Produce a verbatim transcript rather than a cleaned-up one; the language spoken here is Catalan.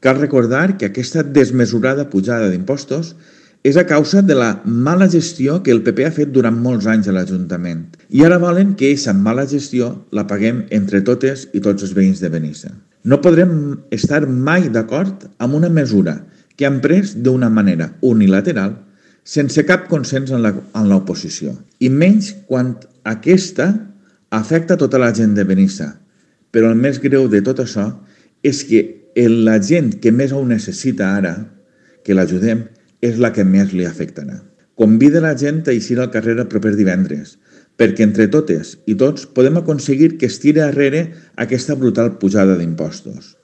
Cal recordar que aquesta desmesurada pujada d'impostos és a causa de la mala gestió que el P P ha fet durant molts anys a l'Ajuntament. I ara volen que aquesta mala gestió la paguem entre totes i tots els veïns de Benissa. No podrem estar mai d'acord amb una mesura que han pres d'una manera unilateral sense cap consens en l'oposició. I menys quan aquesta afecta tota la gent de Benissa. Però el més greu de tot això és que la gent que més ho necessita ara, que l'ajudem, és la que més li afectarà. Convida la gent a eixir al carrer el proper divendres, perquè entre totes i tots podem aconseguir que es tiri arrere aquesta brutal pujada d'impostos.